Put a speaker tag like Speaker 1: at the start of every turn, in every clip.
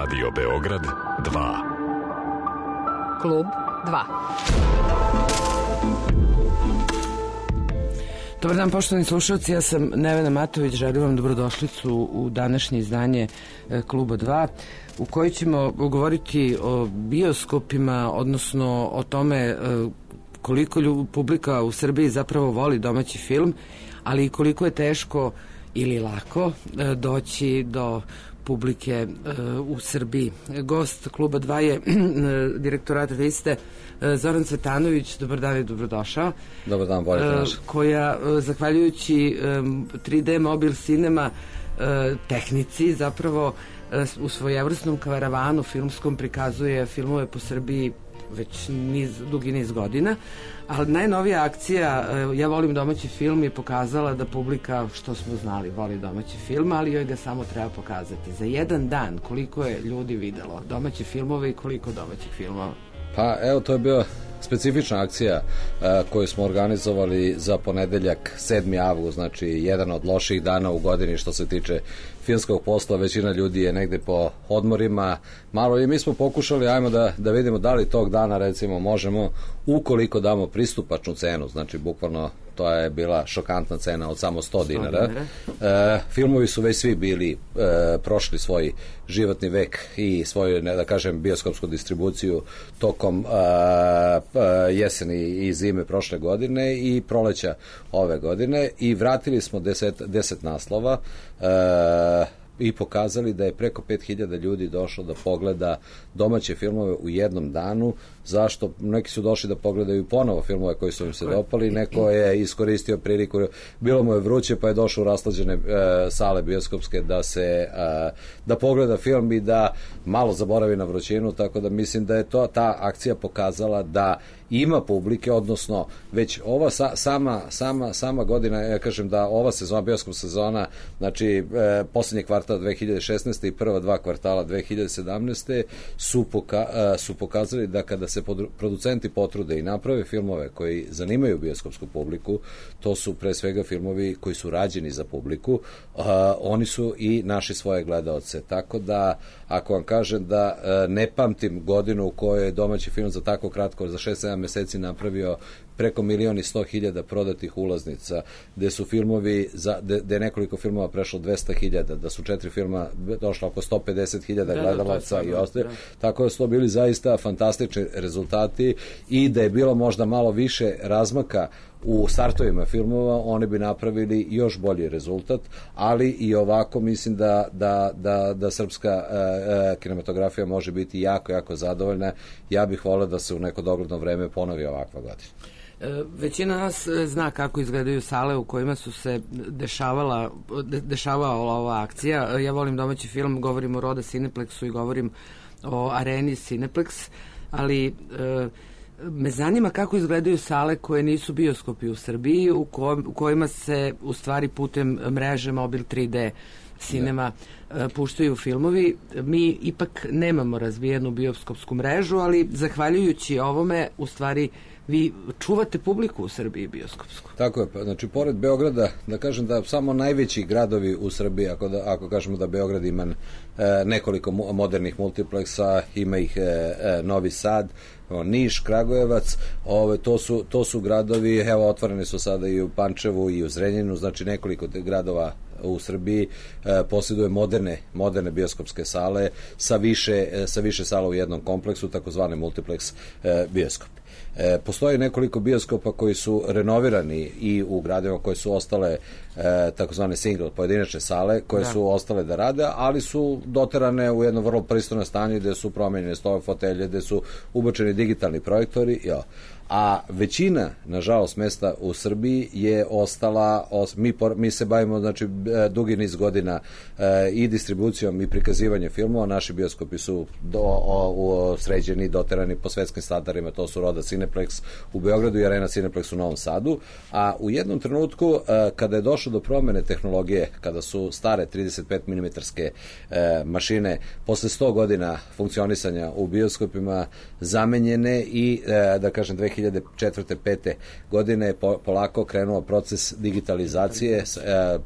Speaker 1: Radio Beograd 2.
Speaker 2: Klub 2. Dobar dan, poštovani slušalci, ja sam Nevena Matović, želim vam dobrodošlicu u današnje izdanje Kluba 2, u kojoj ćemo govoriti o bioskopima, odnosno o tome koliko publika u Srbiji zapravo voli domaći film, ali i koliko je teško ili lako doći do publike u Srbiji. Gost Kluba 2 je direktorata liste Zoran Cvetanović. Dobar dan i dobrodošao.
Speaker 3: Dobar dan, bolje naša.
Speaker 2: Koja, zahvaljujući 3D Mobil Cinema tehnici, zapravo u svojevrsnom karavanu filmskom prikazuje filmove po Srbiji već dugi niz godina, ali najnovija akcija Ja volim domaći film je pokazala da publika, što smo znali, voli domaći film, ali joj ga samo treba pokazati. Za jedan dan koliko je ljudi videlo domaće filmove i koliko domaćih filmova?
Speaker 3: Pa evo, to je bio specifična akcija koju smo organizovali za ponedeljak 7. avgust, znači jedan od loših dana u godini što se tiče filmskog posla. Većina ljudi je negde po odmorima malo i mi smo pokušali, ajmo da vidimo da li tog dana recimo možemo, ukoliko damo pristupačnu cenu, znači bukvalno to je bila šokantna cena od samo 100 dinara. Filmovi su već svi bili prošli svoj životni vek i svoju, da kažem, bioskopsku distribuciju tokom jeseni i zime prošle godine i proleća ove godine i vratili smo 10 naslova i pokazali da je preko 5000 ljudi došlo da pogleda domaće filmove u jednom danu. Zašto? Neki su došli da pogledaju ponovo filmove koji su im se dopali, neko je iskoristio priliku, bilo mu je vruće pa je došao u raslađene sale bioskopske da pogleda film i da malo zaboravi na vrućinu, tako da mislim da je ta akcija pokazala da ima publike, odnosno već ova sama godina, ja kažem da ova sezona, bioskop sezona, znači poslednji kvartal 2016. i prva 2 kvartala 2017. su pokazali da kada se producenti potrude i naprave filmove koji zanimaju bioskopsku publiku, to su pre svega filmovi koji su rađeni za publiku, oni su i naši svoje gledaoce, tako da ako vam kažem da ne pamtim godinu u kojoj je domaći film za tako kratko, za 6-7 meseci napravio preko 1.100.000 prodatih ulaznica, gde su filmovi, gde je nekoliko filmova prešlo 200.000, da su 4 filma došlo oko 150.000 gledalaca i ostalo, tako da su to bili zaista fantastični rezultati i da je bilo možda malo više razmaka u startovima filmova, oni bi napravili još bolji rezultat, ali i ovako mislim da srpska kinematografija može biti jako, jako zadovoljna. Ja bih voleo da se u neko dogledno vreme ponovi ovakva godina.
Speaker 2: Većina nas zna kako izgledaju sale u kojima su se dešavala ova akcija. Ja volim domaći film, govorim o Roda Cineplexu i govorim o areni Cineplex, ali me zanima kako izgledaju sale koje nisu bioskopi u Srbiji, u kojima se u stvari putem mreže Mobil 3D Cinema puštaju filmovi. Mi ipak nemamo razvijenu bioskopsku mrežu, ali zahvaljujući ovome u stvari vi čuvate publiku u Srbiji bioskopsku.
Speaker 3: Tako je, znači pored Beograda, da kažem da samo najveći gradovi u Srbiji, ako kažemo da Beograd ima nekoliko modernih multipleksa, ima ih Novi Sad, Niš, Kragujevac, to su gradovi, evo otvoreni su sada i u Pančevu i u Zrenjaninu, znači nekoliko gradova u Srbiji posjeduje moderne bioskopske sale sa više sala u jednom kompleksu, takozvani multiplex bioskop. Postoji nekoliko bioskopa koji su renovirani i u gradovima koje su ostale takozvane single, pojedinačne sale koje su ostale da rade, ali su doterane u jedno vrlo pristojno stanje gde su promenjene stole, fotelje, gde su ubačeni digitalni projektori, a većina, nažalost, mesta u Srbiji je ostala, mi se bavimo, znači, dugi niz godina i distribucijom i prikazivanjem filmova, naši bioskopi su sređeni, doterani po svetskim standardima, to su Roda Cineplex u Beogradu i Arena Cineplex u Novom Sadu, a u jednom trenutku, kada je došlo do promene tehnologije, kada su stare 35 mm mašine, posle 100 godina funkcionisanja u bioskopima, zamenjene i, da kažem, 2004. 5. godine je polako krenuo proces digitalizacije,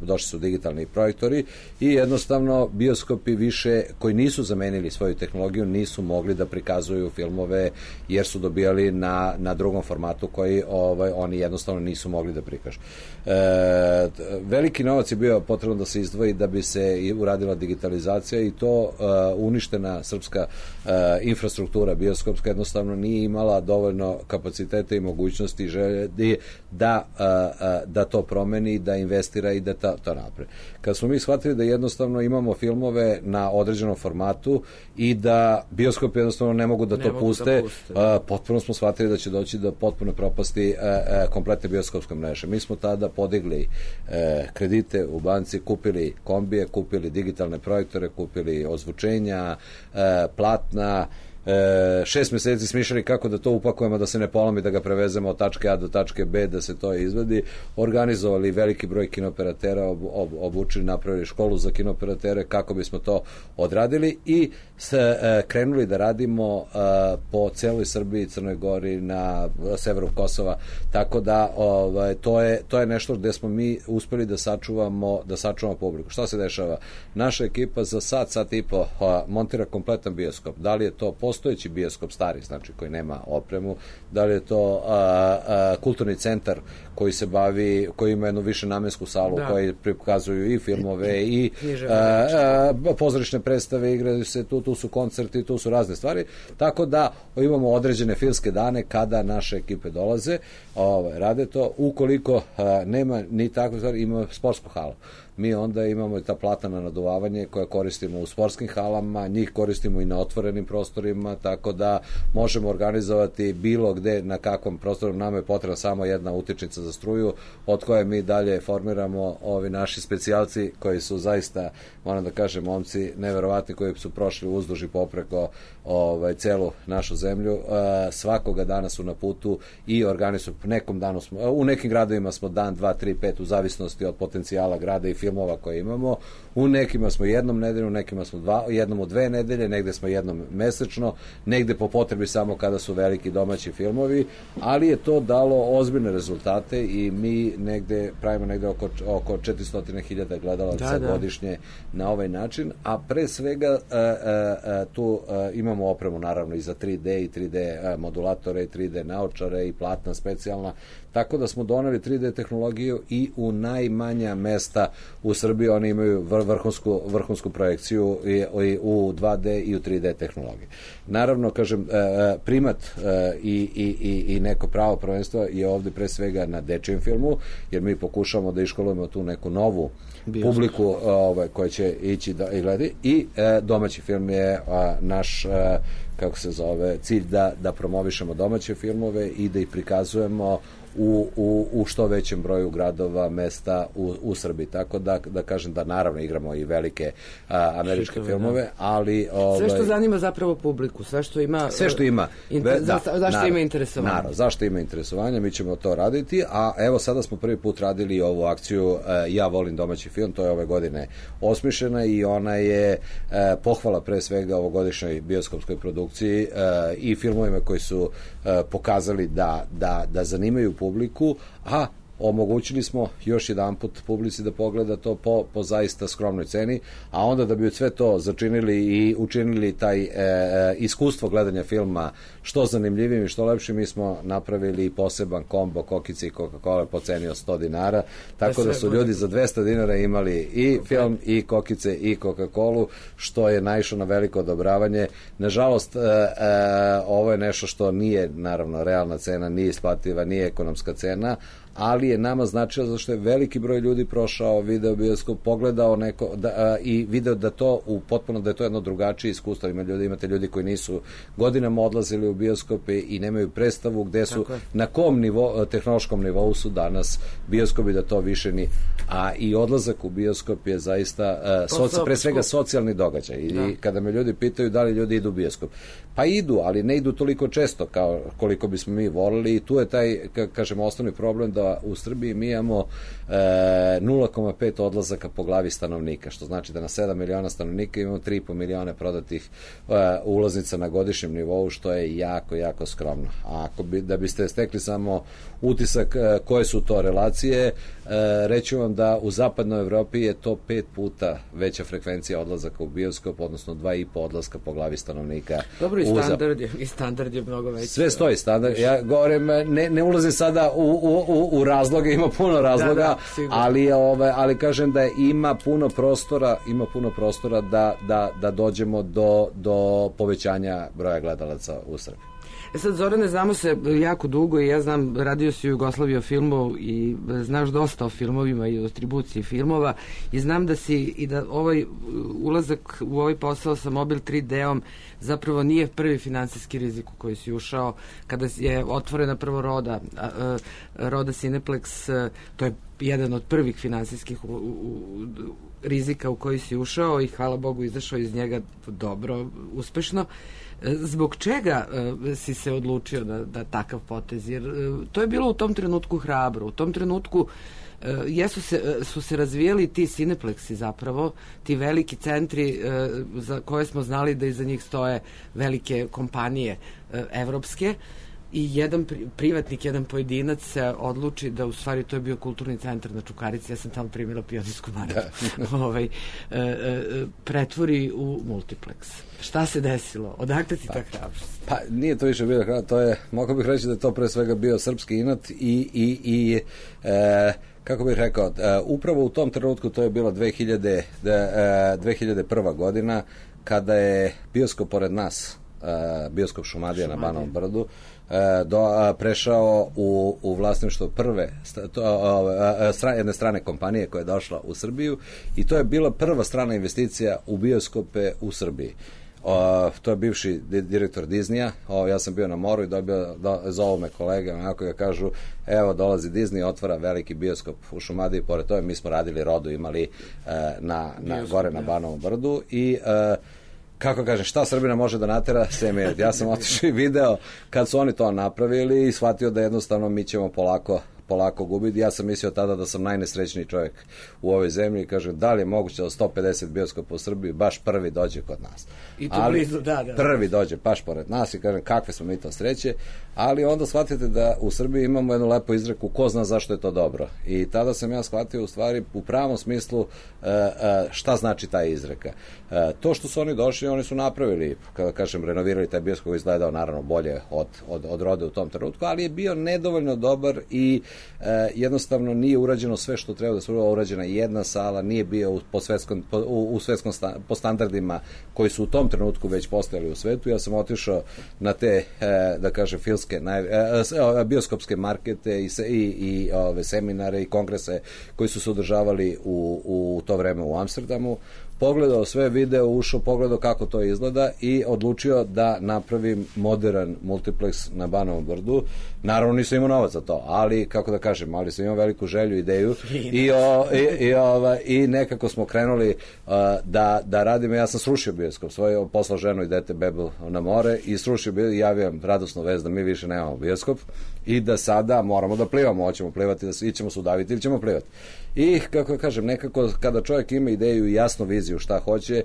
Speaker 3: došli su digitalni projektori i jednostavno bioskopi više koji nisu zamenili svoju tehnologiju nisu mogli da prikazuju filmove jer su dobijali na drugom formatu koji oni jednostavno nisu mogli da prikažu. Veliki novac je bio potrebno da se izdvoji da bi se uradila digitalizacija i to uništena srpska infrastruktura bioskopska jednostavno nije imala dovoljno kapaciteta i mogućnosti i želje da to promeni, da investira i da to napravi. Kad smo mi shvatili da jednostavno imamo filmove na određenom formatu i da bioskopi jednostavno ne mogu da to puste, potpuno smo shvatili da će doći do potpuno propasti kompletne bioskopske mreže. Mi smo tada podigli kredite u banci, kupili kombije, kupili digitalne projektore, kupili ozvučenja, platna, 6 meseci smišljali kako da to upakujemo, da se ne polomi, da ga prevezemo od tačke A do tačke B, da se to izvedi, organizovali veliki broj kinooperatera, obučili, napravili školu za kinooperatere kako bismo to odradili i krenuli da radimo po celoj Srbiji, Crnoj Gori, na severu Kosova, tako da to je nešto gde smo mi uspeli da sačuvamo publiku. Šta se dešava? Naša ekipa za sat i po montira kompletan bioskop. Da li je to postojeći bioskop stari, znači koji nema opremu, da li je to kulturni centar koji se bavi, koji ima jednu više namensku salu, koji prikazuju i filmove i pozorišne predstave, igraju se tu su koncerti, tu su razne stvari, tako da imamo određene filmske dane kada naše ekipe dolaze, rade to, ukoliko nema ni takve stvari, imamo sportsku halu. Mi onda imamo i ta platna na naduvavanje koje koristimo u sportskim halama, njih koristimo i na otvorenim prostorima, tako da možemo organizovati bilo gde, na kakvom prostoru. Nama je potrebna samo jedna utičnica za struju, od koje mi dalje formiramo ovi naši specijalci koji su zaista, moram da kažem, momci neverovatni koji su prošli uzduž i popreko celu našu zemlju. Svakoga dana su na putu i organizuju. U nekim gradovima smo dan, 2, 3, 5 u zavisnosti od potencijala grada i filmova koje imamo. U nekima smo jednom nedeljom, u nekima smo jednom u 2 nedelje, negde smo jednom mesečno, negde po potrebi samo kada su veliki domaći filmovi, ali je to dalo ozbiljne rezultate i mi negde pravimo negde oko 400.000 gledalaca godišnje na ovaj način, a pre svega tu imamo opremu naravno i za 3D i 3D modulatore i 3D naočare i platna specijalna, tako da smo doneli 3D tehnologiju i u najmanja mesta u Srbiji oni imaju vrhunsku projekciju u 2D i u 3D tehnologiji. Naravno, kažem, primat i neko pravo prvenstva je ovde pre svega na dečijem filmu, jer mi pokušamo da iškolujemo tu neku novu publiku koja će ići da gledi i domaći film je naš cilj da promovišemo domaće filmove i da ih prikazujemo u što većem broju gradova, mesta u Srbiji. Tako da kažem da naravno igramo i velike američke filmove, ali...
Speaker 2: Sve što zanima zapravo publiku, sve što ima...
Speaker 3: Sve što ima.
Speaker 2: Zašto ima interesovanje?
Speaker 3: Naravno, zašto ima interesovanje, mi ćemo to raditi, a evo sada smo prvi put radili ovu akciju Ja volim domaći film, to je ove godine osmišljena i ona je pohvala pre svega ovogodišnjoj bioskopskoj produkciji i filmovima koji su pokazali da zanimaju publiku, a omogućili smo još jedan put publici da pogleda to po zaista skromnoj ceni, a onda da bi od sve to začinili i učinili taj iskustvo gledanja filma što zanimljivim i što lepšim, mi smo napravili poseban kombo kokice i Coca-Cola po ceni od $100, tako da su ljudi za $200 imali i film i kokice i Coca-Colu, što je naišlo na veliko odobravanje. Nažalost, ovo je nešto što nije naravno realna cena, nije isplativa, nije ekonomska cena, ali je nama značilo zašto je veliki broj ljudi prošao video bioskop, pogledao i video da to potpuno da je to jedno drugačije iskustvo. Imate ljudi koji nisu godinama odlazili u bioskope i nemaju predstavu gde su, na kom tehnološkom nivou su danas bioskopi, da to više ni... A i odlazak u bioskop je zaista pre svega socijalni događaj. I kada me ljudi pitaju da li ljudi idu u bioskop, pa idu, ali ne idu toliko često kao koliko bismo mi volili i tu je taj, kažemo, osnovni problem da bioskopa u Srbiji mi imamo 0,5 odlazaka po glavi stanovnika, što znači da na 7 miliona stanovnika imamo 3,5 miliona prodatih ulaznica na godišnjem nivou, što je jako, jako skromno. A da biste stekli samo utisak koje su to relacije, reći vam da u zapadnoj Evropi je to 5 puta veća frekvencija odlazaka u bioskop, odnosno 2,5 odlaska po glavi stanovnika.
Speaker 2: Dobro, i standard je mnogo veći.
Speaker 3: Sve stoji standard. Ja govorim, ne ulazim sada u razloge, ima puno razloga, ali kažem da ima puno prostora da dođemo do povećanja broja gledalaca u Srbiji.
Speaker 2: Sad, Zorane, znamo se jako dugo i ja znam, radio si u Jugoslaviji o filmu i znaš dosta o filmovima i o distribuciji filmova i znam da si i da ovaj ulazak u ovaj posao sa Mobil 3D-om zapravo nije prvi finansijski rizik u koji si ušao kada je otvorena prvo Roda Cineplex, to je jedan od prvih finansijskih rizika u koji si ušao i hvala Bogu izašao iz njega dobro, uspešno. Zbog čega si se odlučio da takav potez? Jer to je bilo u tom trenutku hrabro. U tom trenutku su se razvijali ti Cineplexi zapravo, ti veliki centri za koje smo znali da iza njih stoje velike kompanije evropske i jedan privatnik, jedan pojedinac se odluči da u stvari to je bio kulturni centar na Čukarici, ja sam tamo primila Pionirsku marku, pretvori u multiplex. Šta se desilo? Odakle ti ta hrabrost?
Speaker 3: Pa nije to više bilo hrabrost, to je, mogu bih reći da je to pre svega bio srpski inat i kako bih rekao, upravo u tom trenutku, to je bilo 2001. godina, kada je bioskop pored nas, bioskop Šumadija na Banovom Brdu, prešao u vlasništvo prve jedne strane kompanije koja je došla u Srbiju i to je bila prva strana investicija u bioskope u Srbiji. To je bivši direktor Disneya, ja sam bio na moru i zovu me kolege, onako ga kažu, evo dolazi Disney, otvara veliki bioskop u Šumadiji, pored toga mi smo radili Rodu, imali gore na Banovom Brdu i kako kažem, šta Srbina može da natera, ja sam otišao i video kad su oni to napravili i shvatio da jednostavno mi ćemo polako gubiti. Ja sam mislio tada da sam najnesrećniji čovjek u ovoj zemlji i kažem, da li je moguće da 150 bioskopa u Srbiji baš prvi dođe kod nas.
Speaker 2: I to blizu, da.
Speaker 3: Prvi dođe baš pored nas i kažem, kakve smo mi to sreće, ali onda shvatite da u Srbiji imamo jednu lepu izreku, ko zna zašto je to dobro. I tada sam ja shvatio u stvari u pravom smislu šta znači ta izreka. To što su oni došli, oni su napravili, kada kažem, renovirali taj bioskop, izgledao naravno bolje od Rode u tom trenutku, ali je bio nedovoljno dobar i jednostavno nije urađeno sve što treba da se urađena jedna sala, nije bio po standardima koji su u tom trenutku već postojali u svetu. Ja sam otišao na te, da kažem, bioskopske markete i seminare i kongrese koji su se održavali u to vreme u Amsterdamu, pogledao sve video, ušao, pogledao kako to izgleda i odlučio da napravim modern multiplex na Banovom Brdu. Naravno nisam imao novac za to, ali kako da kažem, ali sam imao veliku želju, ideju i nekako smo krenuli da radimo. Ja sam srušio bioskop svoj, poslao ženu i dete bebu na more i srušio bioskop i javio radosnu vest da mi više nemamo bioskop i da sada moramo da plivamo, hoćemo plivati, da ćemo se udaviti ili ćemo plivati. I kako kažem, nekako kada čovjek ima ideju i jasnu viziju šta hoće,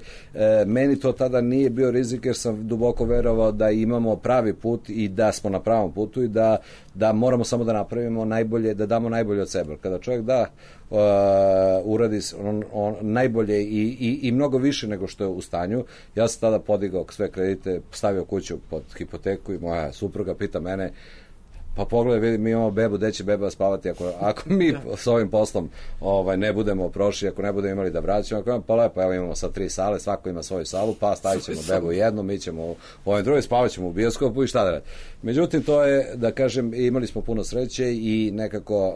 Speaker 3: meni to tada nije bio rizik jer sam duboko verovao da imamo pravi put i da smo na pravom putu i da moramo samo da napravimo najbolje, da damo najbolje od sebe. Kada čovjek uradi najbolje i mnogo više nego što je u stanju, ja sam tada podigao sve kredite, stavio kuću pod hipoteku i moja supruga pita mene, pa pogledaj, vidi, mi imamo bebu, gde će beba spavati ako mi s ovim poslom ne budemo prošli, ako ne budemo imali da vraćamo, pa lepo, evo imamo sad 3 sale, svako ima svoju salu, pa stavit ćemo bebu jednu, mi ćemo u ovoj drugoj, spavat ćemo u bioskopu i šta da radi. Međutim, to je, da kažem, imali smo puno sreće i nekako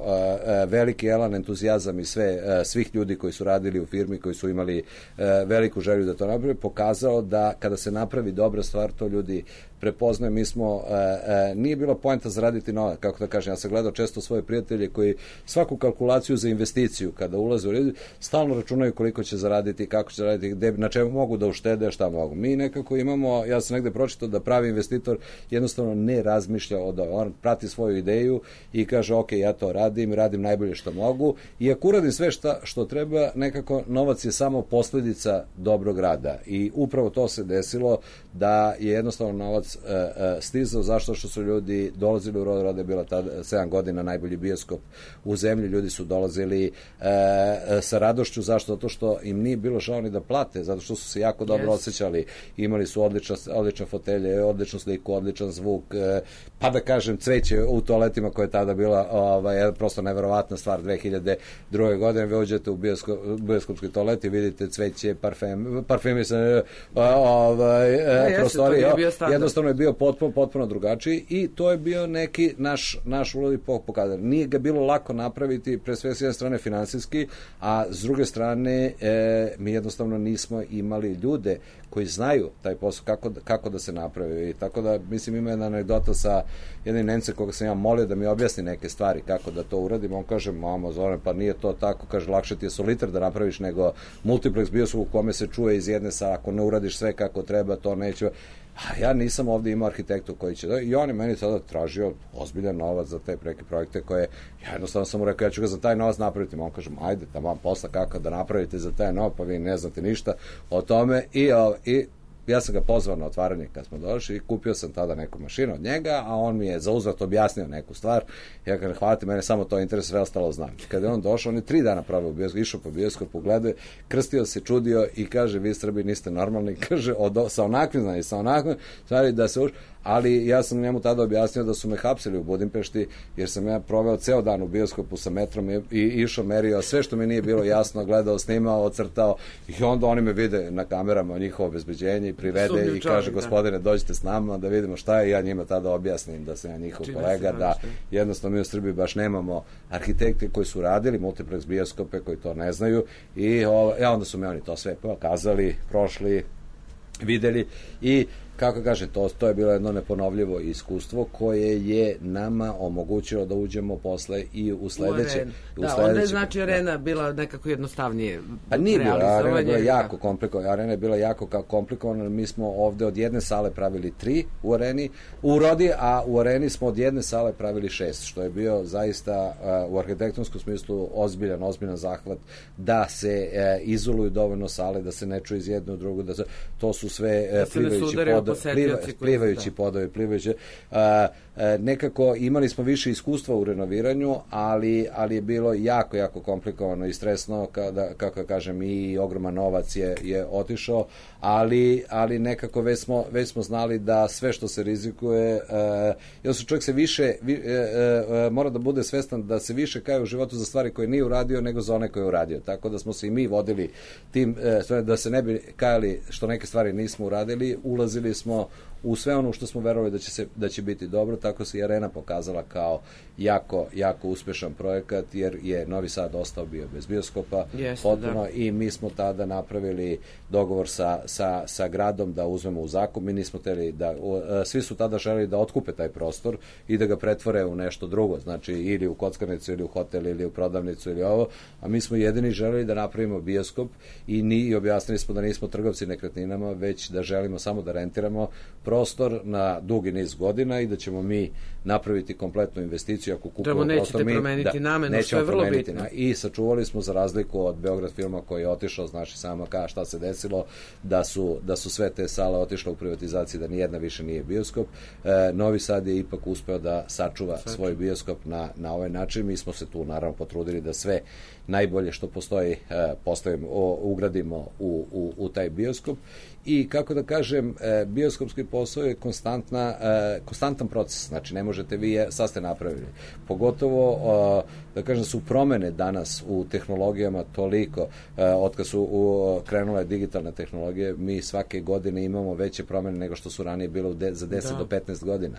Speaker 3: veliki elan, entuzijazam i svih ljudi koji su radili u firmi, koji su imali veliku želju da to napravi, pokazao da kada se napravi dobra stvar, to ljudi prepoznaje, mi smo, nije bila poenta zaraditi novac, kako da kažem, ja sam gledao često svoje prijatelje koji svaku kalkulaciju za investiciju, kada ulaze u red, stalno računaju koliko će zaraditi, kako će zaraditi, gde, na čemu mogu da uštede, šta mogu. Mi nekako imamo, ja sam negde pročitao da pravi investitor jednostavno ne razmišlja on prati svoju ideju i kaže, ok, ja to radim najbolje što mogu i ako uradim sve što treba, nekako novac je samo posledica dobrog rada i upravo to se desilo da je jednostavno novac stizao, zašto što su ljudi dolazili u Rod Roda, je bila tada 7 godina najbolji bioskop u zemlji, ljudi su dolazili sa radošću, zašto? Zato što im nije bilo žao ni da plate, zato što su se jako dobro osjećali, imali su odlične fotelje, odličnu sliku, odličan zvuk, pa da kažem cveće u toaletima koja je tada bila prosto neverovatna stvar. 2002. godine vi uđete u bioskopski toalet i vidite cveće, parfemi se prostorije, jednostavno je bio potpuno drugačiji i to je bio neki naš ulog pokazan. Nije ga bilo lako napraviti, pre sve s jedne strane finansijski, a s druge strane mi jednostavno nismo imali ljude koji znaju taj posao kako da se napravi. I tako da, mislim, ima jedna anegdota sa jednim Nemcem koga sam ja molio da mi objasni neke stvari kako da to uradim. On kaže, mamo Zoran, pa nije to tako, kaže, lakše ti je solitar da napraviš nego multiplex bioskop u kome se čuje iz jedne sale, ako ne uradiš sve kako treba, to neće. A ja nisam ovdje imao arhitektu koji će i on je meni sada tražio ozbiljan novac za te preke projekte koje, ja jednostavno sam mu rekao, ja ću ga za taj novac napraviti. On kaže, ajde, tamo posla kako da napravite za taj novac, pa vi ne znate ništa o tome i ja sam ga pozvao na otvaranje kad smo došli i kupio sam tada neku mašinu od njega, a on mi je za uzvrat objasnio neku stvar. Ja kažem, hvala ti, mene samo to interesuje, sve ostalo znam. Kada je on došao, on je 3 dana pravio bioskop, išao po bioskopu, gledao, krstio se, čudio i kaže, vi Srbi niste normalni, kaže, sa onakvim, stvari da se ali ja sam njemu tada objasnio da su me hapsili u Budimpešti, jer sam ja proveo ceo dan u bioskopu sa metrom i išao, merio sve što mi nije bilo jasno, gledao, snimao, ocrtao i onda oni me vide na kamerama, njihovo obezbeđenje i privede i kaže, gospodine, dođite s nama da vidimo šta je, ja njima tada objasnim da sam ja njihov kolega, da jednostavno mi u Srbiji baš nemamo arhitekte koji su radili multiplex bioskope, koji to ne znaju i onda su me oni to sve pokazali, prošli, videli i kako kaže, to je bilo jedno neponovljivo iskustvo koje je nama omogućilo da uđemo posle i u sledeće.
Speaker 2: Onda je znači arena bila nekako jednostavnije.
Speaker 3: Pa nije bila, arena je bila jako komplikovana. Arena je bila jako komplikovana. Mi smo ovde od jedne sale pravili 3 u areni, u Rodi, a u areni smo od jedne sale pravili 6, što je bio zaista u arhitektonskom smislu ozbiljan zahvat da se izoluju dovoljno sale, da se ne čuje iz jedne u drugu, to su sve plivajući podovi, nekako imali smo više iskustva u renoviranju, ali je bilo jako komplikovano i stresno, kako kažem, i ogroman novac je otišao, ali nekako već smo znali da sve što se rizikuje, čovjek se više mora da bude svestan da se više kaje u životu za stvari koje nije uradio nego za one koje je uradio, tako da smo se i mi vodili tim, da se ne bi kajali što neke stvari nismo uradili, ulazili smo u sve ono što smo verovali da će biti dobro, tako se i arena pokazala kao jako uspešan projekat, jer je Novi Sad ostao bio bez bioskopa potpuno i mi smo tada napravili dogovor sa gradom da uzmemo u zakup. Mi nismo hteli svi su tada želeli da otkupe taj prostor i da ga pretvore u nešto drugo, znači ili u kockarnicu ili u hotel ili u prodavnicu ili ovo, a mi smo jedini želeli da napravimo bioskop i objasnili smo da nismo trgovci nekretninama, već da želimo samo da rentiramo prostor na dugi niz godina i da ćemo mi napraviti kompletnu investiciju ako kupimo prostor.
Speaker 2: Promeniti namenu, što je vrlo bitno.
Speaker 3: I sačuvali smo, za razliku od Beograd filma koji je otišao, znači samo šta se desilo, da su sve te sale otišle u privatizaciji, da nijedna više nije bioskop. Novi Sad je ipak uspeo da sačuva svoj bioskop na ovaj način. Mi smo se tu naravno potrudili da sve najbolje što postoji ugradimo u taj bioskop i kako da kažem, bioskopski posao je konstantan proces, znači ne možete vi sad ste napravili, pogotovo da kažem, su promene danas u tehnologijama toliko, otkad su krenule digitalne tehnologije, mi svake godine imamo veće promene nego što su ranije bilo za 10 do 15 godina.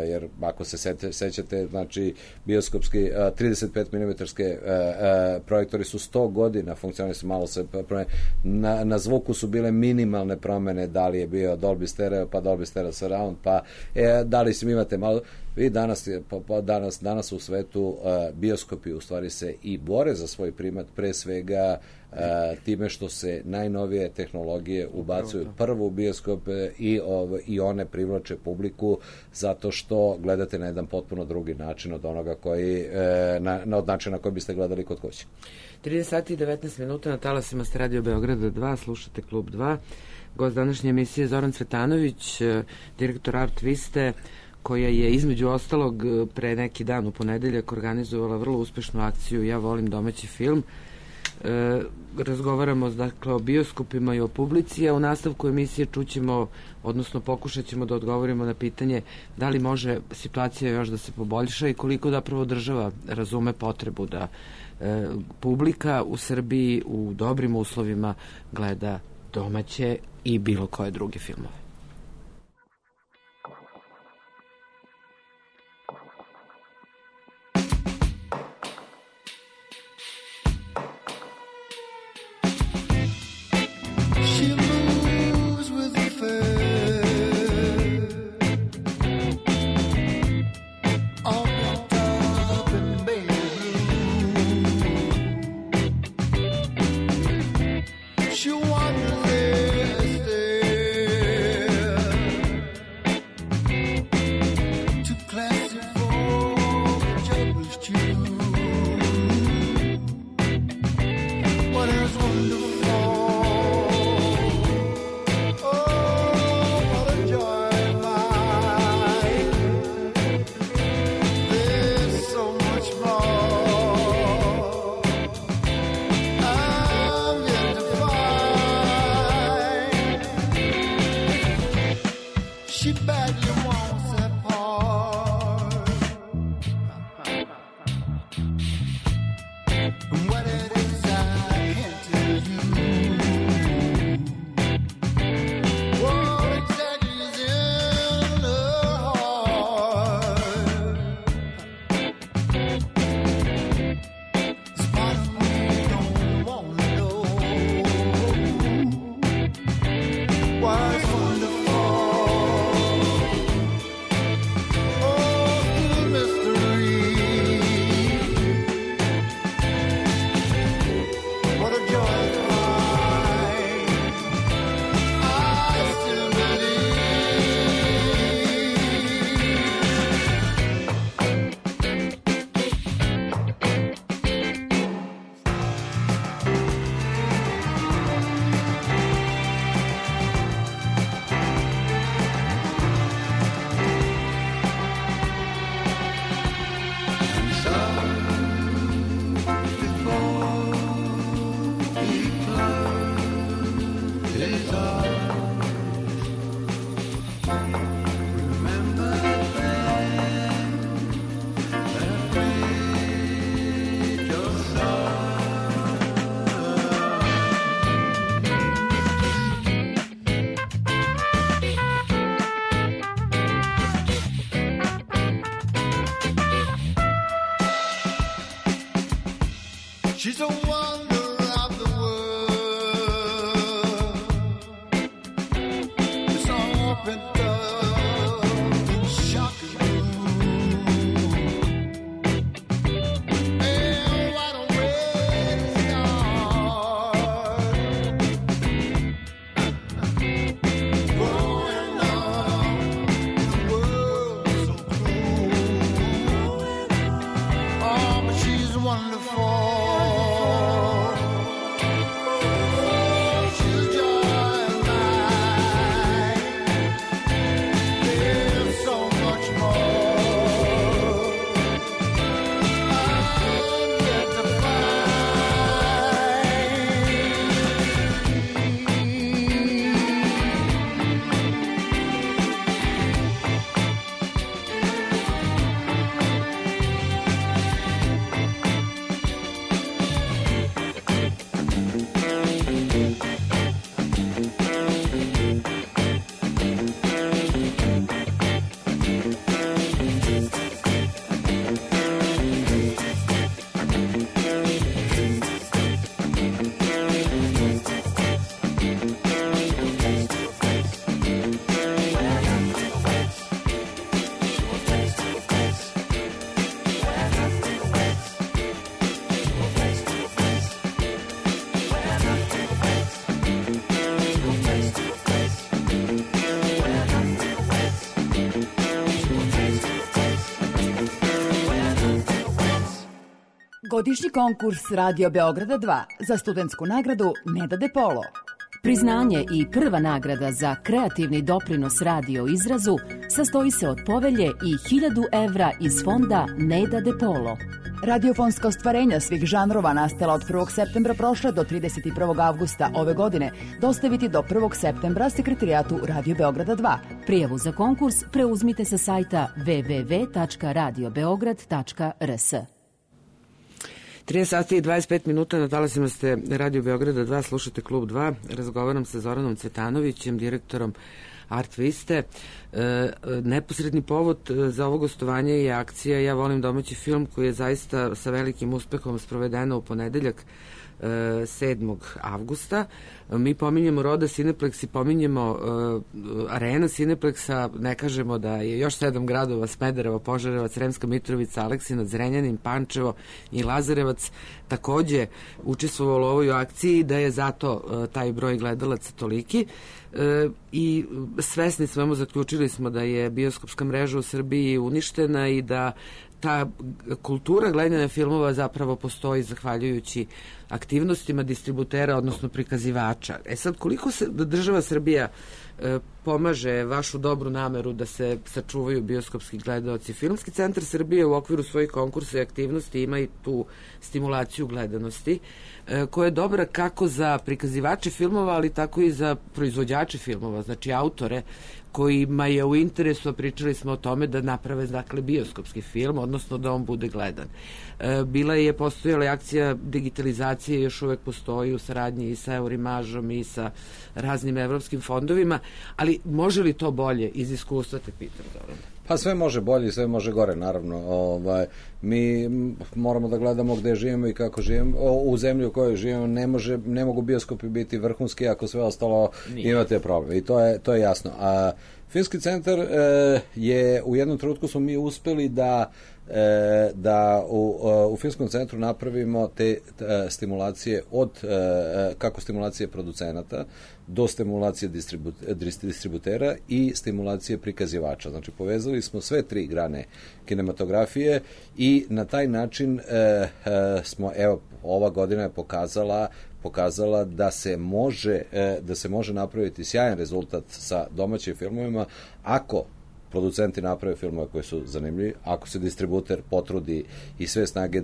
Speaker 3: Jer ako se sećate, znači, bioskopski 35 mm projektori su 100 godina funkcionali su, malo se promene. Na zvuku su bile minimalne promene, da li je bio Dolby Stereo, pa Dolby Stereo Surround, pa da li si imate malo. Vi danas u svetu bioskopi u stvari se i bore za svoj primat, pre svega time što se najnovije tehnologije ubacuju prvo u bioskop i one privlače publiku zato što gledate na jedan potpuno drugi način od onoga koji od načina na koji biste gledali kod kuće.
Speaker 2: 30 sati i 19 minuta na talasima ste Radio Beograda 2, slušate Klub 2. Gost današnje emisije Zoran Cvetanović, direktor Art Viste, koja je između ostalog pre neki dan u ponedeljak organizovala vrlo uspešnu akciju Ja volim domaći film. Razgovaramo dakle o bioskopima i o publici, a u nastavku emisije čućemo, odnosno pokušat ćemo da odgovorimo na pitanje da li može situacija još da se poboljša i koliko zapravo država razume potrebu da publika u Srbiji u dobrim uslovima gleda domaće i bilo koje druge filmove.
Speaker 4: She's a wonder of the world. It's open up and shocking and what a way to start. Growing up in a world so cruel. Oh, but she's wonderful.
Speaker 5: Ovogodišnji konkurs Radio Beograda 2 za studentsku nagradu Neda De Polo.
Speaker 6: Priznanje i prva nagrada za kreativni doprinos radio izrazu sastoji se od povelje i 1000 evra iz fonda Neda De Polo.
Speaker 5: Radiofonska ostvarenja svih žanrova nastala od 1. septembra prošle do 31. avgusta ove godine dostaviti do 1. septembra Sekretarijatu Radio Beograda 2.
Speaker 6: Prijavu za konkurs preuzmite sa sajta www.radiobeograd.rs.
Speaker 2: 13 sati i 25 minuta, na talasima ste Radio Beograda 2, slušate Klub 2, razgovaram sa Zoranom Cvetanovićem, direktorom Art Viste. Neposredni povod za ovo gostovanje je akcija Ja volim domaći film, koji je zaista sa velikim uspehom sprovedena u ponedeljak 7. avgusta. Mi pominjemo Roda Cineplex i pominjemo Arena Cineplexa, ne kažemo da je još 7 gradova, Smederevo, Požarevac, Sremska Mitrovica, Aleksinac, Zrenjanin, Pančevo i Lazarevac takođe učestvovalo u ovoj akciji, da je zato taj broj gledalaca toliki. I svesni smo, zaključili smo da je bioskopska mreža u Srbiji uništena i da ta kultura gledanja filmova zapravo postoji zahvaljujući aktivnostima distributera, odnosno prikazivača. Sad, koliko se država Srbija pomaže vašu dobru nameru da se sačuvaju bioskopski gledaoci? Filmski centar Srbije u okviru svojih konkursa i aktivnosti ima i tu stimulaciju gledanosti, koja je dobra kako za prikazivače filmova, ali tako i za proizvođače filmova, znači autore kojima je u interesu, a pričali smo o tome, da naprave dakle bioskopski film, odnosno da on bude gledan. Postojala je akcija digitalizacije, još uvek postoji u saradnji i sa Eurimažom i sa raznim evropskim fondovima, ali može li to bolje iz iskustva, te pitam, Zoran?
Speaker 3: Pa sve može bolje i sve može gore, naravno. Mi moramo da gledamo gde živimo i kako živimo. U zemlji u kojoj živimo ne mogu bioskopi biti vrhunski ako sve ostalo imate problem. I to je jasno. A Filmski centar je, u jednom trenutku smo mi uspeli da u Filmskom centru napravimo te stimulacije od kako stimulacije producenata do stimulacije distributera i stimulacije prikazivača. Znači, povezali smo sve tri grane kinematografije i na taj način smo, evo, ova godina je pokazala da se može napraviti sjajan rezultat sa domaćim filmovima ako producenti naprave filmove koji su zanimljivi, ako se distributer potrudi i sve snage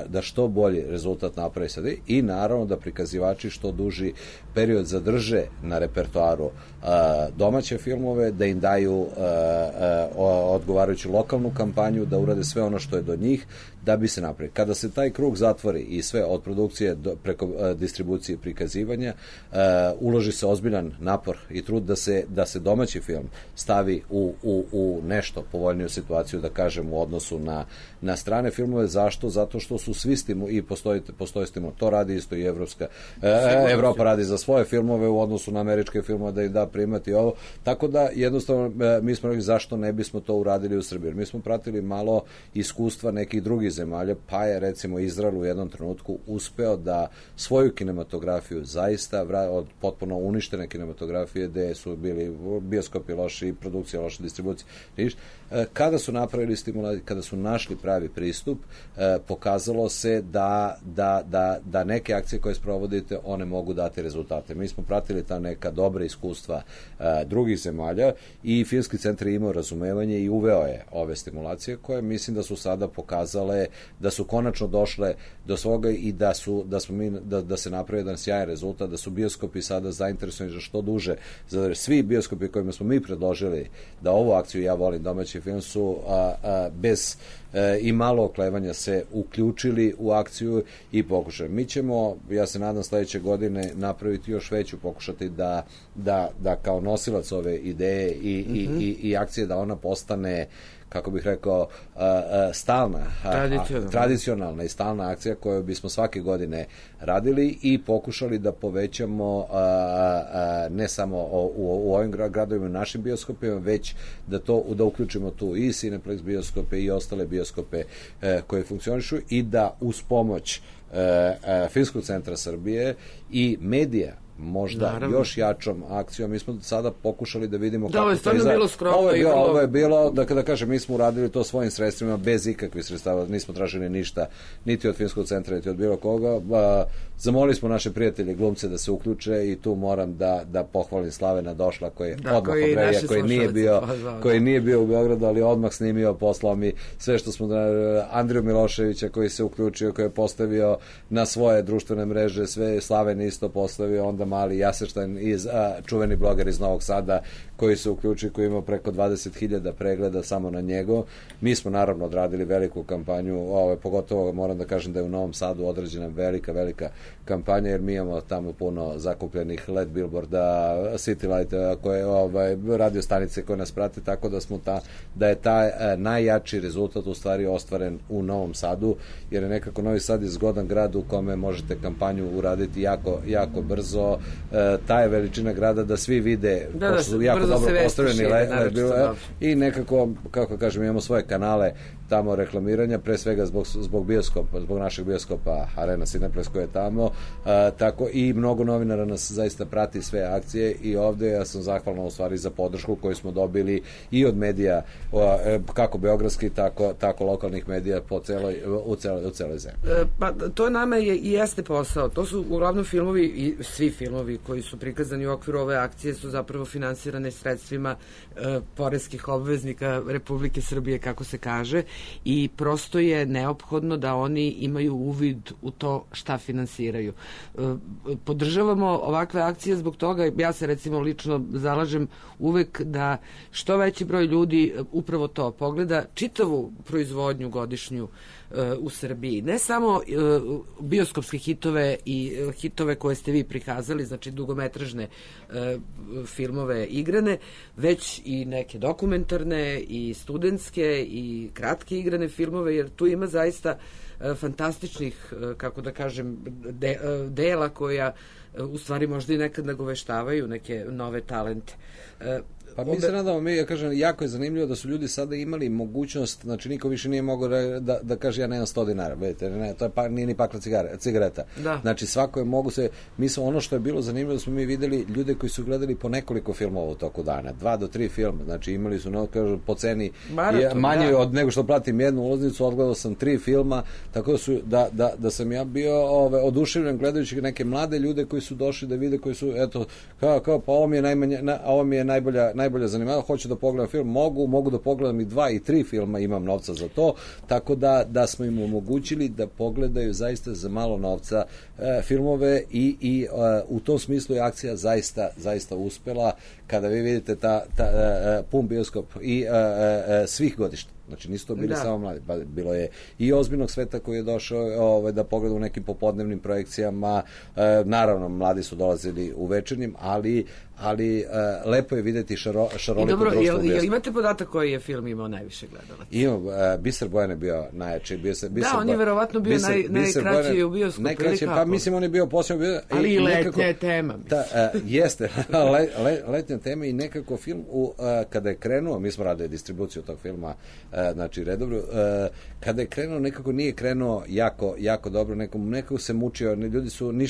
Speaker 3: da što bolji rezultat napravi sada i naravno da prikazivači što duži period zadrže na repertoaru domaće filmove, da im daju odgovarajuću lokalnu kampanju, da urade sve ono što je do njih, da bi se napravili. Kada se taj krug zatvori i sve od produkcije preko distribucije i prikazivanja, uloži se ozbiljan napor i trud da se domaći film stavi u nešto povoljniju situaciju, da kažem, u odnosu na strane filmove. Zašto? Zato što su svi i postoji stimul. To radi isto i Evropa radi za svoje filmove u odnosu na američke filmove, da im da primati ovo. Tako da jednostavno mi smo rekli zašto ne bismo to uradili u Srbiji. Mi smo pratili malo iskustva nekih drugih zemalja, pa je recimo Izrael u jednom trenutku uspeo da svoju kinematografiju zaista od potpuno uništene kinematografije, gde su bili bioskopi loši, produkcija loša, distribucija, kada su napravili stimulaciju, kada su našli pravi pristup, pokazalo se da neke akcije koje sprovodite, one mogu dati rezultate. Mi smo pratili ta neka dobra iskustva drugih zemalja i Filmski centar je imao razumevanje i uveo je ove stimulacije koje mislim da su sada pokazale da su konačno došle do svoga i da se napravi jedan sjajan rezultat, da su bioskopi sada zainteresovani za što duže. Svi bioskopi kojima smo mi predložili da ovu akciju Ja volim domaći film su bez i malo oklevanja se uključili u akciju i pokušali. Mi ćemo, ja se nadam, sledeće godine napraviti još veću, pokušati da kao nosilac ove ideje i akcije, da ona postane, kako bih rekao, stalna, tradicionalna i stalna akcija koju bismo svake godine radili i pokušali da povećamo ne samo u ovim gradovima, našim bioskopima, već da uključimo tu i Cineplex bioskope i ostale bioskope koje funkcionišu i da uz pomoć Filmskog centra Srbije i medija možda
Speaker 2: Naravno.
Speaker 3: još jačom akcijom. Mi smo sada pokušali da vidimo
Speaker 2: Da, ovo je
Speaker 3: kako to
Speaker 2: stvarno
Speaker 3: izgleda.
Speaker 2: bilo skromno
Speaker 3: Ovo je
Speaker 2: i
Speaker 3: bilo,
Speaker 2: vrlo-
Speaker 3: ovo je bilo, da kažem, mi smo uradili to svojim sredstvima, bez ikakvih sredstava, nismo tražili ništa, niti od Filmskog centra, niti od bilo koga. Zamolili smo naše prijatelje glumce da se uključe i tu moram da pohvalim Slavena Došla koji je odmah
Speaker 2: koji
Speaker 3: odrevija,
Speaker 2: naši
Speaker 3: koji nije bio u Beogradu, ali odmah snimio, poslao mi sve što smo Andriju Miloševića koji se uključio, koji je postavio na svoje društvene mreže, sve Slaven isto postavio, onda mali Jaseštajn čuveni bloger iz Novog Sada koji se uključio, koji ima preko 20.000 pregleda samo na njego. Mi smo naravno odradili veliku kampanju, pogotovo moram da kažem da je u Novom Sadu odrađena velika kampanja, jer mi imamo tamo puno zakupljenih LED billboarda, City Light, radio stanice koje nas prate, tako da smo da je taj najjači rezultat u stvari ostvaren u Novom Sadu, jer je nekako Novi Sad je zgodan grad u kome možete kampanju uraditi jako brzo. Ta je veličina grada da svi vide, pošto su jako dobro postavljeni i nekako, kako kažem, imamo svoje kanale tamo reklamiranja, pre svega zbog bioskopa, zbog našeg bioskopa Arena Cineplex koji je tamo, tako i mnogo novinara nas zaista prati sve akcije i ovde ja sam zahvalan u stvari za podršku koju smo dobili i od medija, kako beogradskih, tako lokalnih medija u celoj zemlji.
Speaker 2: Pa to nama i jeste posao. To su uglavnom filmovi i svi filmovi koji su prikazani u okviru ove akcije su zapravo finansirane sredstvima poreskih obveznika Republike Srbije, kako se kaže, i prosto je neophodno da oni imaju uvid u to šta finansiraju. Podržavamo ovakve akcije zbog toga, ja se recimo lično zalažem uvek da što veći broj ljudi upravo to pogleda, čitavu proizvodnju godišnju u Srbiji. Ne samo bioskopske hitove i hitove koje ste vi prikazali, znači dugometražne filmove igrane, već i neke dokumentarne i studentske i kratke igrane filmove, jer tu ima zaista fantastičnih, kako da kažem, dela koja u stvari možda i nekad nagoveštavaju neke nove talente.
Speaker 3: Pa mi se nadamo, ja kažem, jako je zanimljivo da su ljudi sada imali mogućnost, znači niko više nije mogao da kaže ja nemam 100 dinara, vidite, ne, to je nije ni pakla cigareta. Da. Znači svako je mogu se, ono što je bilo zanimljivo da smo mi videli ljude koji su gledali po nekoliko filmova u toku dana, 2 do 3 filma, znači imali su, kažu, po ceni manje od nego što platim jednu ulaznicu, odgledao sam 3 filma, tako da su, da sam ja bio oduševljen gledajući neke mlade ljude koji su došli da vide, koji su, eto, kao pa ovo mi je najbolja zanimljiva, hoću da pogledam film, mogu da pogledam i 2 i 3 filma, imam novca za to, tako da smo im omogućili da pogledaju zaista za malo novca filmove i u tom smislu je akcija zaista uspela, kada vi vidite pun bioskop i svih godišta. Znači nisu to bili samo mladi, bilo je i ozbiljnog sveta koji je došao da pogleda u nekim popodnevnim projekcijama, naravno mladi su dolazili u večernjim, ali lepo je videti šaroliko društvo.
Speaker 2: I dobro, imate podatak koji je film imao najviše gledalaca?
Speaker 3: Imam, Biser Bojan je bio najjači.
Speaker 2: On je verovatno bio najkraći u bioskopu.
Speaker 3: Pa mislim on je bio posebno...
Speaker 2: Ali i letnja tema.
Speaker 3: Jeste, letnja tema i nekako film, kada je krenuo, mi smo radili distribuciju tog filma, znači redovno, kada je krenuo, nekako nije krenuo jako dobro, nekako se mučio, ljudi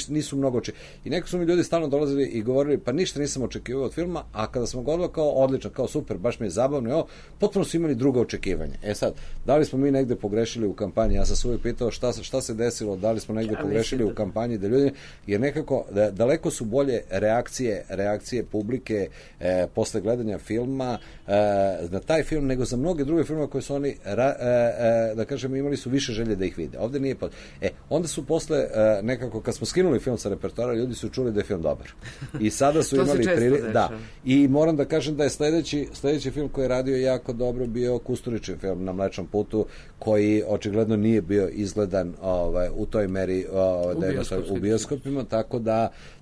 Speaker 3: nisu mnogo i nekako su mi ljudi stalno dolazili i govorili, pa ništa nisam očekivao od filma, a kada smo govorili kao odličan, kao super, baš mi je zabavno, potpuno su imali druga očekivanja. Sad, da li smo mi negde pogrešili u kampanji? Ja sam se uvijek pitao šta se desilo, da li smo negde pogrešili u kampanji, da ljudi, jer nekako daleko su bolje reakcije publike posle gledanja filma na taj film, nego za mnoge druge filme koje su oni, da kažem, imali su više želje da ih vide. Ovde nije onda su posle nekako, kad smo skinuli film sa repertoara, ljudi su čuli da je film dobar. I sada su imali i moram da kažem da je sledeći film koji je radio jako dobro bio Kusturičin film Na mlečnom putu, koji očigledno nije bio izgledan u toj meri u bioskopima, tako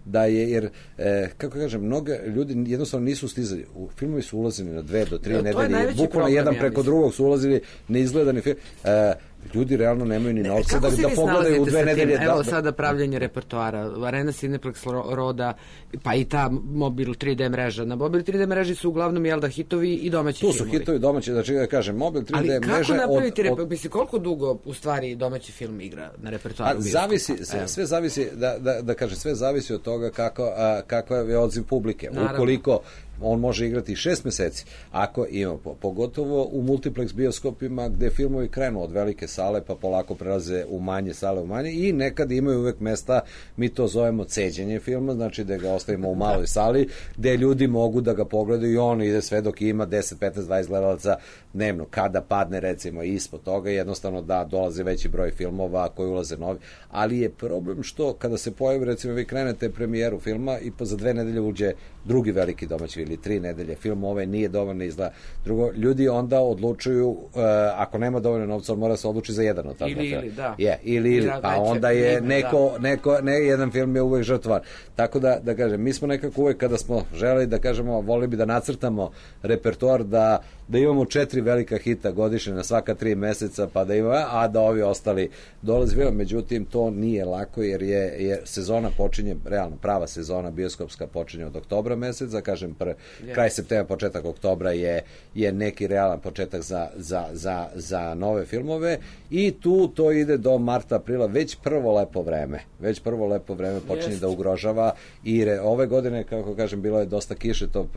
Speaker 3: da je, jer kako kažem, mnogo ljudi jednostavno nisu stizali, filmovi su ulazili na 2 do 3 nedelje, bukvalno jedan preko drugog su ulazili neizgledani film. ljudi realno nemaju ni novca
Speaker 2: Kako se
Speaker 3: da
Speaker 2: vi
Speaker 3: pogledaju u
Speaker 2: snalazite
Speaker 3: 2
Speaker 2: sa tim?
Speaker 3: nedelje.
Speaker 2: Evo sada pravljenje repertoara, Arena Cineplex Roda, pa i ta Mobil 3D mreža. Na Mobil 3D mreži su uglavnom, jel da, hitovi i domaći
Speaker 3: Tu
Speaker 2: filmovi.
Speaker 3: su hitovi domaći, znači da kažem, Mobil 3D
Speaker 2: Ali
Speaker 3: mreža...
Speaker 2: kako napraviti, mislim, koliko dugo u stvari domaći film igra na repertoaru?
Speaker 3: Zavisi, sve zavisi, da kažem, sve zavisi od toga kakav je odziv publike.
Speaker 2: Naravno.
Speaker 3: Ukoliko on može igrati 6 meseci, ako ima, pogotovo u multiplex bioskopima gde filmovi krenu od velike sale pa polako prelaze u manje sale, u manje, i nekad imaju uvek mesta, mi to zovemo ceđenje filma, znači da ga ostavimo u maloj sali gde ljudi mogu da ga pogledaju i on ide sve dok ima 10, 15, 20 gledalaca dnevno. Kada padne recimo ispod toga, jednostavno da dolaze veći broj filmova koji ulaze novi, ali je problem što kada se pojavi, recimo vi krenete premijeru filma i za 2 nedelje uđe drugi veliki domaći ili 3 nedelje film, nije dovoljno izgleda. Drugo, ljudi onda odlučuju, ako nema dovoljno novca, on mora se odluči za jedan od tada.
Speaker 2: Ili, da.
Speaker 3: Ili, pa onda je jedan film je uvek žrtvar. Tako da kažem, mi smo nekako uvek kada smo želeli da kažemo, volili bi da nacrtamo repertoar, da imamo 4 velika hita godišnje na svaka 3 meseca, pa da imamo, a da ovi ostali dolazi film. Međutim, to nije lako, jer sezona počinje, realno prava sezona bioskopska počinje od oktobra meseca, kažem, kraj septembra, početak oktobra je neki realan početak za nove filmove, i to ide do marta, aprila, već prvo lepo vreme počinje da ugrožava, i ove godine, kako kažem, bilo je dosta kiše, to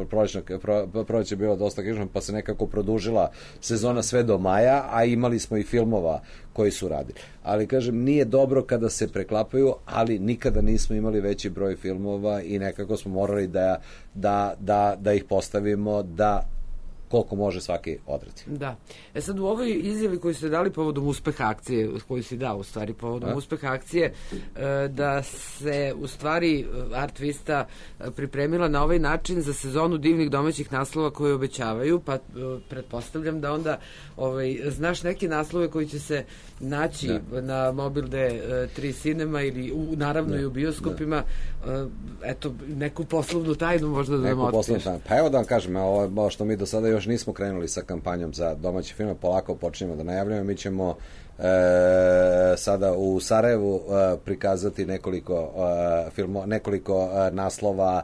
Speaker 3: proleće je bilo dosta kiše, pa se nekako produžila sezona sve do maja, a imali smo i filmova koji su radili. Ali, kažem, nije dobro kada se preklapaju, ali nikada nismo imali veći broj filmova i nekako smo morali da ih postavimo da koliko može svaki odrati.
Speaker 2: Da. Sad u ovoj izjavi koju ste dali povodom uspeha akcije, koju si dao u stvari povodom uspeha akcije, da se u stvari Art Vista pripremila na ovaj način za sezonu divnih domaćih naslova koje obećavaju, pa pretpostavljam da onda znaš neke naslove koji će se naći na Mobil D3 Cinema ili naravno i u bioskopima. Eto, neku poslovnu tajnu možda da nam otkriješ.
Speaker 3: Pa evo da vam kažem, ovo što mi do sada još nismo krenuli sa kampanjom za domaće filme, polako počinjemo da najavljamo. Mi ćemo sada u Sarajevu prikazati nekoliko naslova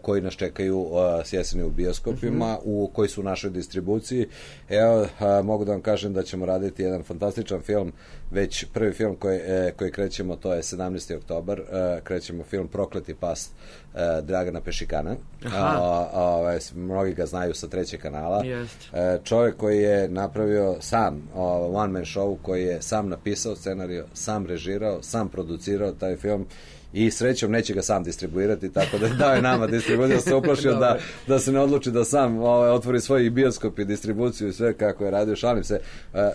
Speaker 3: koji nas čekaju s jeseni u bioskopima, koji su u našoj distribuciji. Evo, mogu da vam kažem da ćemo raditi jedan fantastičan film, već prvi film koji krećemo, to je 17. oktobar, krećemo film Prokleti pas Dragana Pešikana. Mnogi ga znaju sa 3. kanala. Čovjek koji je napravio sam one man show, koji je sam napisao scenariju, sam režirao, sam producirao taj film, i srećom neće ga sam distribuirati, tako da dao je nama distribuciju, da se uplašio da se ne odluči da sam otvori svoj bioskop i distribuciju i sve kako je radio. Šalim se,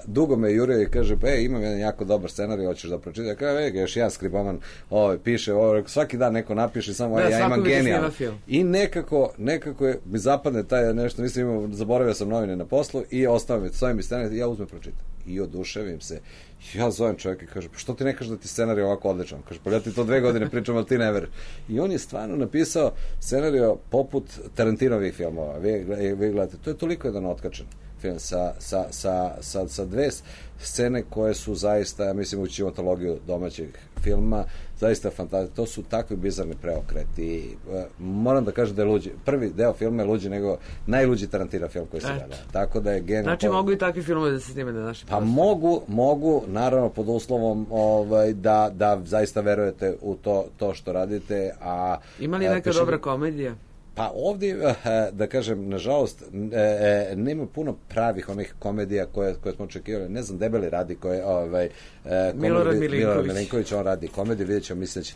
Speaker 3: dugo me jurio i kaže, imam jedan jako dobar scenarij, hoćeš da pročitaš? Ja kaže, još jedan skriboman piše, svaki dan neko napiše, samo ja imam genijalno. I nekako mi zapadne taj nešto, nisam imao, zaboravio sam novine na poslu i ostao mi, svoj mi scenarij, ja uzmem pročitam. I oduševim se. Ja zovem čovjeka i kažem, pa što ti ne kažeš da ti scenarij ovako odličan? Kaže, pa ja ti to 2 godine pričam, ali ti ne veruješ. I on je stvarno napisao scenarij poput Tarantinovih filmova. Vi gledate, to je toliko jedan otkačen film sa 2 scene koje su zaista, mislim, u cinematologiju domaćeg filma, zaista fantastične. To su takvi bizarni preokreti. Moram da kažem da je luđi. Prvi deo filma je luđi nego najluđi Tarantino film koji se gleda. Tako da je genijalno.
Speaker 2: Znači mogu i takvi filmovi da se snime na našem
Speaker 3: prostoru? Pa mogu, naravno pod uslovom da zaista verujete u to što radite.
Speaker 2: Ima li neka dobra komedija?
Speaker 3: Pa ovdje, da kažem, nažalost, nema puno pravih onih komedija koje smo očekivali. Ne znam, Debeli radi
Speaker 2: Milorad
Speaker 3: Milinković, on radi komediju, vidjet ćemo, mislim da će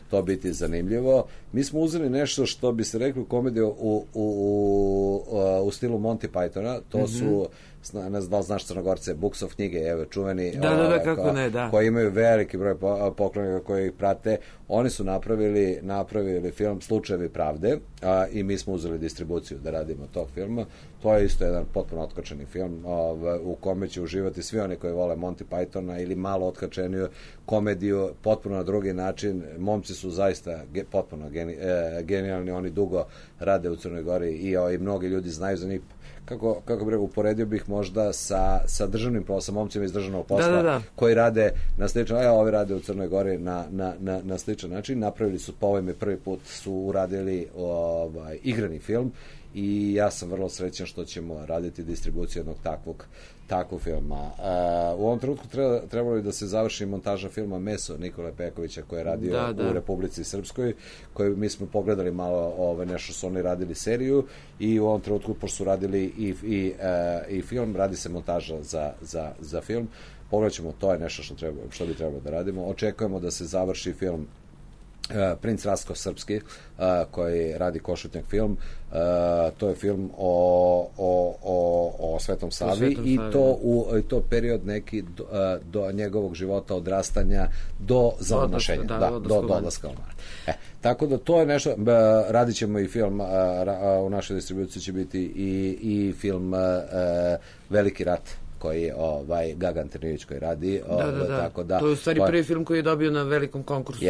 Speaker 3: to biti zanimljivo. Mi smo uzeli nešto što bi se rekli komediju u stilu Monty Pythona, to su, ne znam da li znaš Crnogorce, Buksov knjige, evo, čuveni, koji imaju veliki broj poklonika koji ih prate. Oni su napravili film Slučajevi pravde, i mi smo uzeli distribuciju da radimo tog filma. To je isto jedan potpuno otkačeni film u kome će uživati svi oni koji vole Monty Pythona ili malo otkačeniju komediju, potpuno na drugi način. Momci su zaista potpuno genijalni, oni dugo rade u Crnoj Gori i mnogi ljudi znaju za njih. kako bih uporedio bih možda sa državnim poslom, momcima iz državnog posla,
Speaker 2: Da.
Speaker 3: koji rade na sličan, ovi rade u Crnoj Gori na sličan način. Napravili su, po ovome prvi put su uradili igrani film i ja sam vrlo srećan što ćemo raditi distribuciju jednog takvog filma. U ovom trenutku trebalo bi da se završi montaža filma Meso Nikole Pekovića koji je radio u Republici Srpskoj, koji mi smo pogledali malo nešto su oni radili seriju i u ovom trenutku, pošto su radili i film, radi se montaža za film. Pogledat ćemo, to je nešto što bi trebalo da radimo. Očekujemo da se završi film Princ Rastko Srpski, koji radi Košutnjak film. To je film o Svetom Savi i to period neki do njegovog života, odrastanja do zamonašenja, do odlaska u mar. Tako da to je nešto, radit ćemo i film, u našoj distribuciji će biti i film Veliki rat, koji je Gaga Antonijević koji radi. Tako da,
Speaker 2: to je u stvari prvi film koji je dobio na velikom konkursu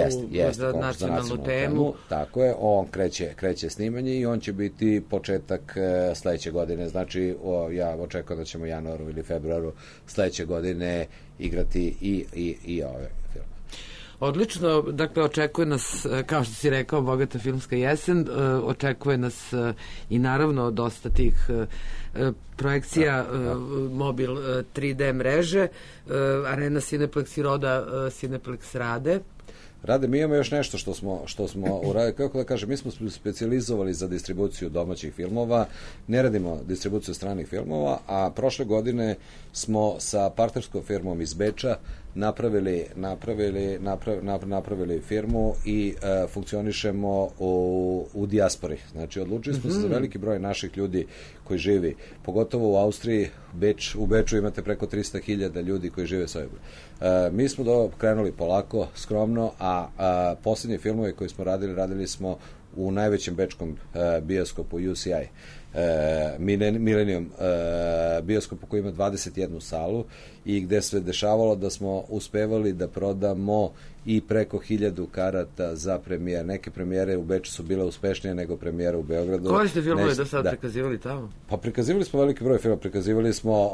Speaker 2: za nacionalnu temu.
Speaker 3: Tako je, on kreće snimanje i on će biti početak sledeće godine. Znači, ja očekujem da ćemo u januaru ili februaru sledeće godine igrati i ove filme.
Speaker 2: Odlično, dakle, očekuje nas, kao što si rekao, bogata filmska jesen, očekuje nas i naravno dosta tih projekcija mobil 3D mreže, Arena Cineplex i Roda Cineplex rade.
Speaker 3: Mi imamo još nešto što smo uradili, kako da kažem, mi smo specijalizovali za distribuciju domaćih filmova, ne radimo distribuciju stranih filmova, a prošle godine smo sa partnerskom firmom iz Beča napravili firmu i funkcionišemo u dijaspori. Znači, odlučili smo se za veliki broj naših ljudi koji živi, pogotovo u Austriji. U Beču imate preko 300.000 ljudi koji žive sa ovim. Mi smo krenuli polako, skromno, a posljednje filmove koje smo radili smo u najvećem bečkom bioskopu UCI, Millennium bioskopu koji ima 21 salu i gde se dešavalo da smo uspevali da prodamo i preko 1000 karata za premijer. Neke premijere u Beču su bile uspešnije nego premijere u Beogradu.
Speaker 2: Koji ste filmove do sad prikazivali tamo?
Speaker 3: Pa prikazivali smo veliki broj filma, prikazivali smo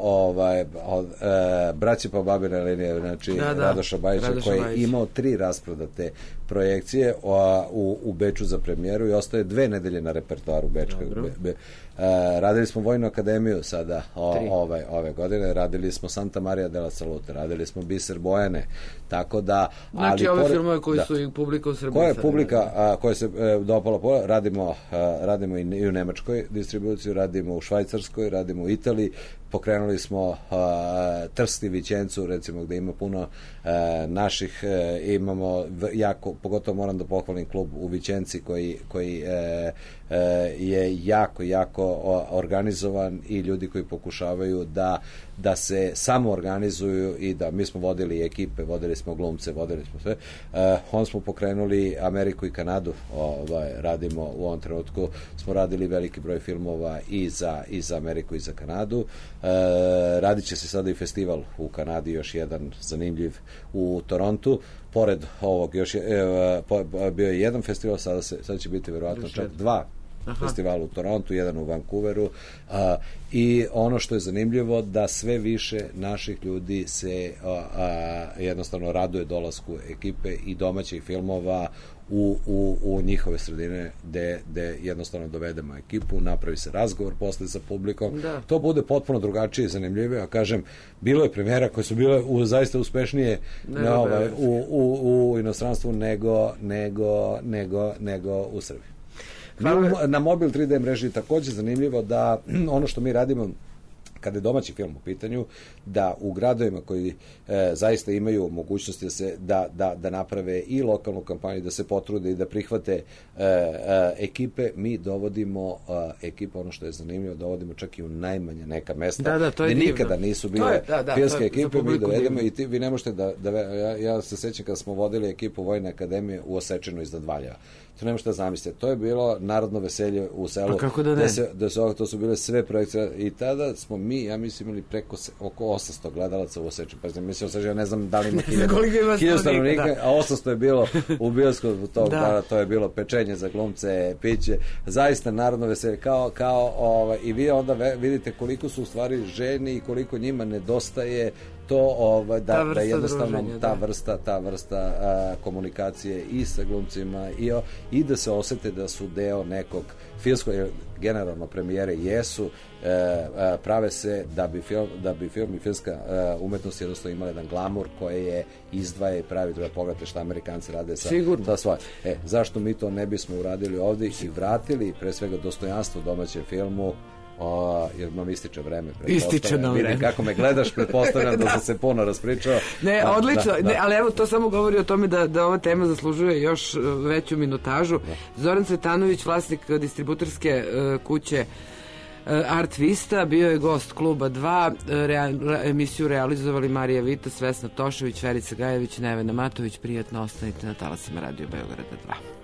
Speaker 3: Braći pa babine linije, znači Radoša Bajića, koji je imao 3 rasprodate projekcije u Beču za premijeru i ostaje 2 nedelje na repertoaru Bečkog. Radili smo Vojnu akademiju sada ove godine, radili smo Santa Maria della Salute, radili smo Biser Bojane, tako da...
Speaker 2: Znači ove filmove koji su i publika u Srbiji.
Speaker 3: Koja je publika koja se dopala, radimo i u Nemačkoj distribuciju, radimo u Švajcarskoj, radimo u Italiji, pokrenuli smo Trst i Vićencu, recimo, gde ima puno naših, imamo pogotovo moram da pohvalim klub u Vićenci koji je jako organizovan i ljudi koji pokušavaju da se samo organizuju i da mi smo vodili ekipe, vodili smo glumce, vodili smo sve. Onda smo pokrenuli Ameriku i Kanadu, radimo u ovom trenutku, smo radili veliki broj filmova i za Ameriku i za Kanadu. Radit će se sada i festival u Kanadi, još jedan zanimljiv u Torontu. Pored ovog bio je jedan festival, sada će biti verovatno čak 2 festivala u Torontu, jedan u Vancouveru, i ono što je zanimljivo da sve više naših ljudi se jednostavno raduje dolasku ekipe i domaćih filmova u njihove sredine gde jednostavno dovedemo ekipu, napravi se razgovor posle sa publikom, to bude potpuno drugačije i zanimljivije, a kažem, bilo je premijera koje su bile zaista uspešnije u inostranstvu nego u Srbiji. Na mobil 3D mreži takođe zanimljivo da ono što mi radimo kada je domaći film u pitanju, da u gradovima koji zaista imaju mogućnosti da naprave i lokalnu kampanju, da se potrude i da prihvate ekipe, mi dovodimo ekipe, ono što je zanimljivo, dovodimo čak i u najmanja neka mesta gde nikada nisu bile filmske ekipe, mi dovedemo i vi ne možete ja se sećam kada smo vodili ekipu Vojne akademije u Osečinu iznad Valjeva. To ne možete da zamislite. To je bilo narodno veselje u selu.
Speaker 2: A kako da ne?
Speaker 3: To su bile sve projekcije i tada smo mi mi, ja mislim, imali oko 800 gledalaca u Osečini. Pa mislim, ja ne znam da li ima
Speaker 2: koliko ima
Speaker 3: 1000 stanovnika,
Speaker 2: da.
Speaker 3: a 800 je bilo u bioskopu tog dana, to je bilo pečenje za glumce, piće, zaista narodno veselje, i vi onda vidite koliko su u stvari ženi i koliko njima nedostaje to da jednostavno ta vrsta komunikacije i sa glumcima i da se osete da su deo nekog filmskog, generalno premijere jesu, prave se da bi film i filmska umetnost jednostavno imala jedan glamur koje je izdvaja i pravi, da pogledate šta Amerikanci rade sa svoje. Zašto mi to ne bismo uradili ovdje i vratili pre svega dostojanstvo domaćem filmu, jer nam ističe vreme.
Speaker 2: Ističe nam vreme.
Speaker 3: Vidi kako me gledaš, pretpostavljam da sam se puno raspričao.
Speaker 2: Ne, odlično, ali evo to samo govori o tome da ova tema zaslužuje još veću minutažu. Zoran Cvetanović, vlasnik distributorske kuće Art Vista, bio je gost Kluba 2, emisiju realizovali Marija Vitas, Vesna Tošević, Verica Gajević, Nevena Matović. Prijatno ostanite na talasima Radio Beograda 2.